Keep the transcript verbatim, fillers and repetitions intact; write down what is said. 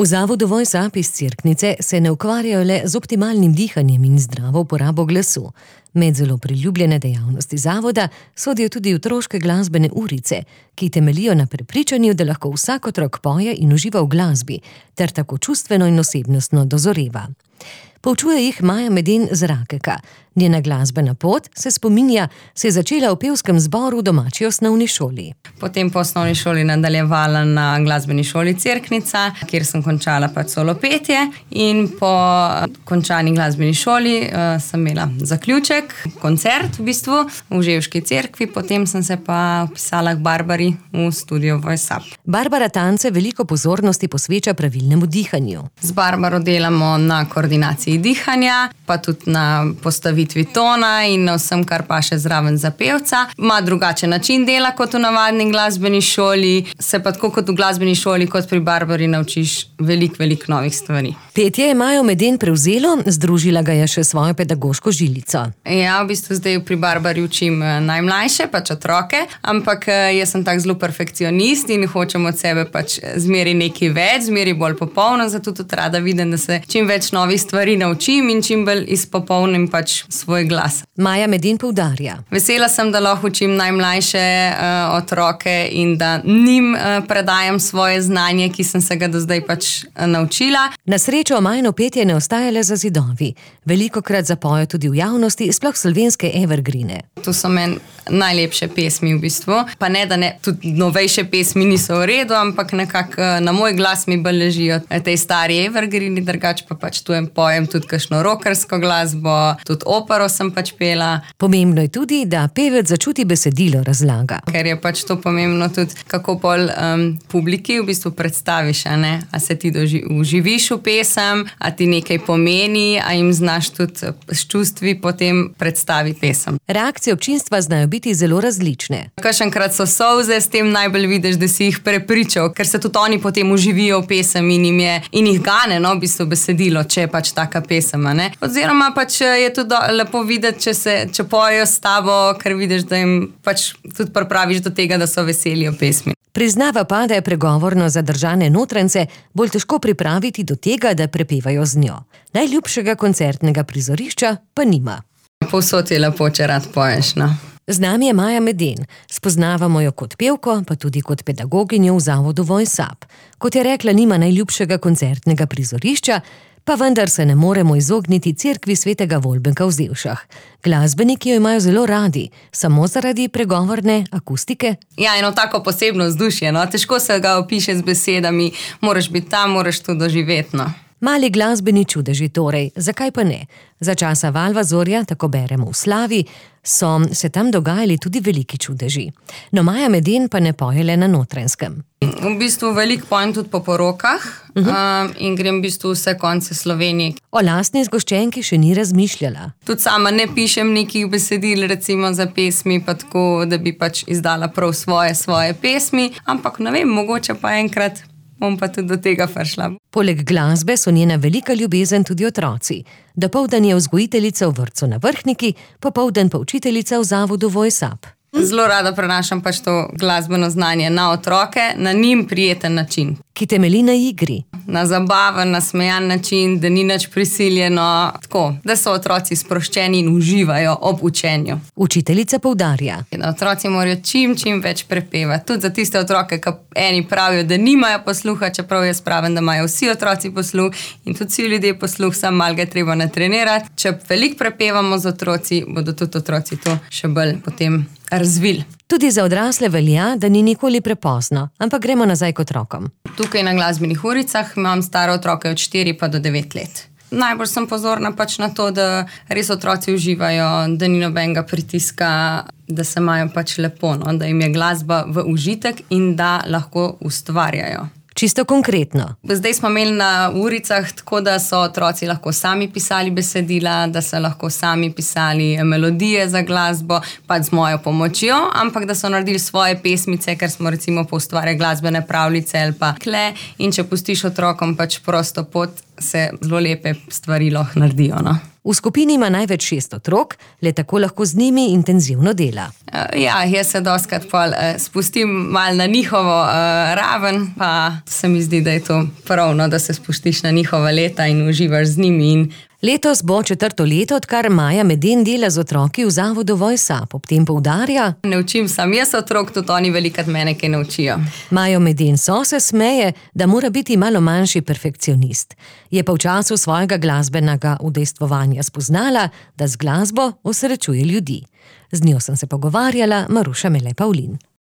V zavodu Voice Up iz Cerknice se ne ukvarjajo le z optimalnim dihanjem in zdravo uporabo glasu. Med zelo priljubljene dejavnosti zavoda sodijo tudi otroške glasbene urice, ki temeljijo na prepričanju, da lahko vsak otrok poje in uživa v glasbi, ter tako čustveno in osebnostno dozoreva. Poučuje jih Maja Meden z Rakeka. Njena glasbena pot, se spominja, se je začela v pevskem zboru v domači osnovni šoli. Potem po osnovni šoli nadaljevala na glasbeni šoli Cerknica, kjer sem končala pač solo petje, in po končani glasbeni šoli uh, sem imela zaključek, koncert v bistvu v Ževški cerkvi, potem sem se pa vpisala k Barbari v studio Voice Up. Barbara Tance veliko pozornosti posveča pravilnemu dihanju. Z Barbaro delamo na koordinaciji dihanja, pa tudi na postavitvi tona in na vsem, kar pa še zraven za pevca. Ma drugačen način dela kot v navadni glasbeni šoli, se pa tako kot v glasbeni šoli, kot pri Barbari naučiš veliko, veliko novih stvari. Petje je Majo Meden prevzelo, združila ga je še svojo pedagoško žilico. Ja, v bistvu zdaj pri Barbari učim najmlajše, pač otroke, ampak jaz sem tak zelo perfekcionist in hočem od sebe pač zmeri nekaj več, zmeri bolj popolno, zato tudi rada vidim, da se čim več novih stvari naučim in čim bolj izpopolnim pač svoj glas. Maja Meden poudarja. Vesela sem, da lahko učim najmlajše uh, otroke in da njim uh, predajam svoje znanje, ki sem se ga do zdaj pač uh, naučila. Na srečo Majino petje ne ostaja le za zidovi. Velikokrat zapojo tudi v javnosti, sploh slovenske evergreene. To so meni najlepše pesmi v bistvu. Pa ne, da ne, tudi novejše pesmi niso v redu, ampak nekako uh, na moj glas mi bolj ležijo tej stari evergreeni, drugače pa pač tu pojem tudi kakšno rockersko glasbo, tudi opero sem pač pela. Pomembno je tudi, da pevec začuti besedilo, razlaga. Ker je pač to pomembno tudi, kako pol um, publiki v bistvu predstaviš, a ne? A se ti doži, uživiš v pesem, a ti nekaj pomeni, a jim znaš tudi s čustvi potem predstaviti pesem. Reakcije občinstva znajo biti zelo različne. Kakšenkrat so solze, s tem najbolj vidiš, da si jih prepričal, ker se tudi oni potem uživijo v pesem in, jim je, in jih gane, no, v bistvu besedilo, če je pač taka pesem, a ne? Oziroma pač je tudi lepo videti, če se če pojejo s tabo, ker vidiš, da jim pač tudi pripraviš do tega, da so veseli o pesmi. Priznava pa, da je pregovorno zadržane notrance bolj težko pripraviti do tega, da prepevajo z njo. Najljubšega koncertnega prizorišča pa nima. Povsod je lepo, če rad poješ, no. Z nami je Maja Meden. Spoznavamo jo kot pevko, pa tudi kot pedagoginjo v zavodu Voice Up. Kot je rekla, nima najljubšega koncertnega prizorišča, pa vendar se ne moremo izogniti cerkvi svetega Volbenka v Zevšah. Glasbeniki jo imajo zelo radi, samo zaradi pregovorne akustike. Ja, eno tako posebno vzdušje, no. Težko se ga opiše z besedami, moraš biti tam, moraš to doživeti, no. Mali glasbeni čudeži torej, zakaj pa ne? Za časa Valvazorja, tako beremo v Slavi, so se tam dogajali tudi veliki čudeži. No, Maja Meden pa ne poje le na Notranjskem. V bistvu veliko pojem tudi po porokah uh -huh. um, in grem v bistvu vse konce Slovenije. O lastni zgoščenki še ni razmišljala. Tudi sama ne pišem nekih besedil, recimo za pesmi, pa tako, da bi pač izdala prav svoje, svoje pesmi, ampak ne vem, mogoče pa enkrat bom pa tudi do tega prišla. Poleg glasbe so njena velika ljubezen tudi otroci. Dopoldan je vzgojiteljica v vrtcu na Vrhniki, popoldan pa učiteljica v zavodu Voice Up. Zelo rada prenašam pač to glasbeno znanje na otroke, na njim prijeten način. Ki temelji na igri. Na zabaven, nasmejan način, da ni nič prisiljeno, tako, da so otroci sproščeni in uživajo ob učenju. Učiteljica poudarja. Otroci morajo čim, čim več prepevati. Tudi za tiste otroke, ki eni pravijo, da nimajo posluha, čeprav jaz pravim, da imajo vsi otroci posluh in tudi vsi ljudje posluh, samo malo ga je treba natrenirati. Če veliko prepevamo z otroci, bodo tudi otroci to še bolj potem razvili. Tudi za odrasle velja, da ni nikoli prepozno, ampak gremo nazaj k otrokom. Tukaj na glasbenih uricah imam stare otroke od štiri pa do devet let. Najbolj sem pozorna pač na to, da res otroci uživajo, da ni nobenega pritiska, da se imajo pač lepo, no? Da jim je glasba v užitek in da lahko ustvarjajo. Čisto konkretno. Zdaj smo imeli na uricah tako, da so otroci lahko sami pisali besedila, da so lahko sami pisali melodije za glasbo, pač z mojo pomočjo, ampak da so naredili svoje pesmice, ker smo recimo poustvarjali glasbene pravljice ali pa kle, in če pustiš otrokom pač prosto pot, se zelo lepe stvari lahko naredijo, no. V skupini ima največ šest otrok, le tako lahko z njimi intenzivno dela. Ja, jaz se dostikrat pol uh, spustim mal na njihovo uh, raven, pa se mi zdi, da je to pravno, da se spustiš na njihova leta in uživaš z njimi. In letos bo četrto leto, odkar Maja Meden dela z otroki v zavodu Voice Up. Ob tem poudarja: ne učim sam jaz otrok, tudi oni velikrat mene kaj naučijo. Majo Meden so se smeje, da mora biti malo manjši perfekcionist. Je pa v času svojega glasbenega udejstvovanja spoznala, da z glasbo osrečuje ljudi. Z njo sem se pogovarjala, Maruša Mele Pavlin.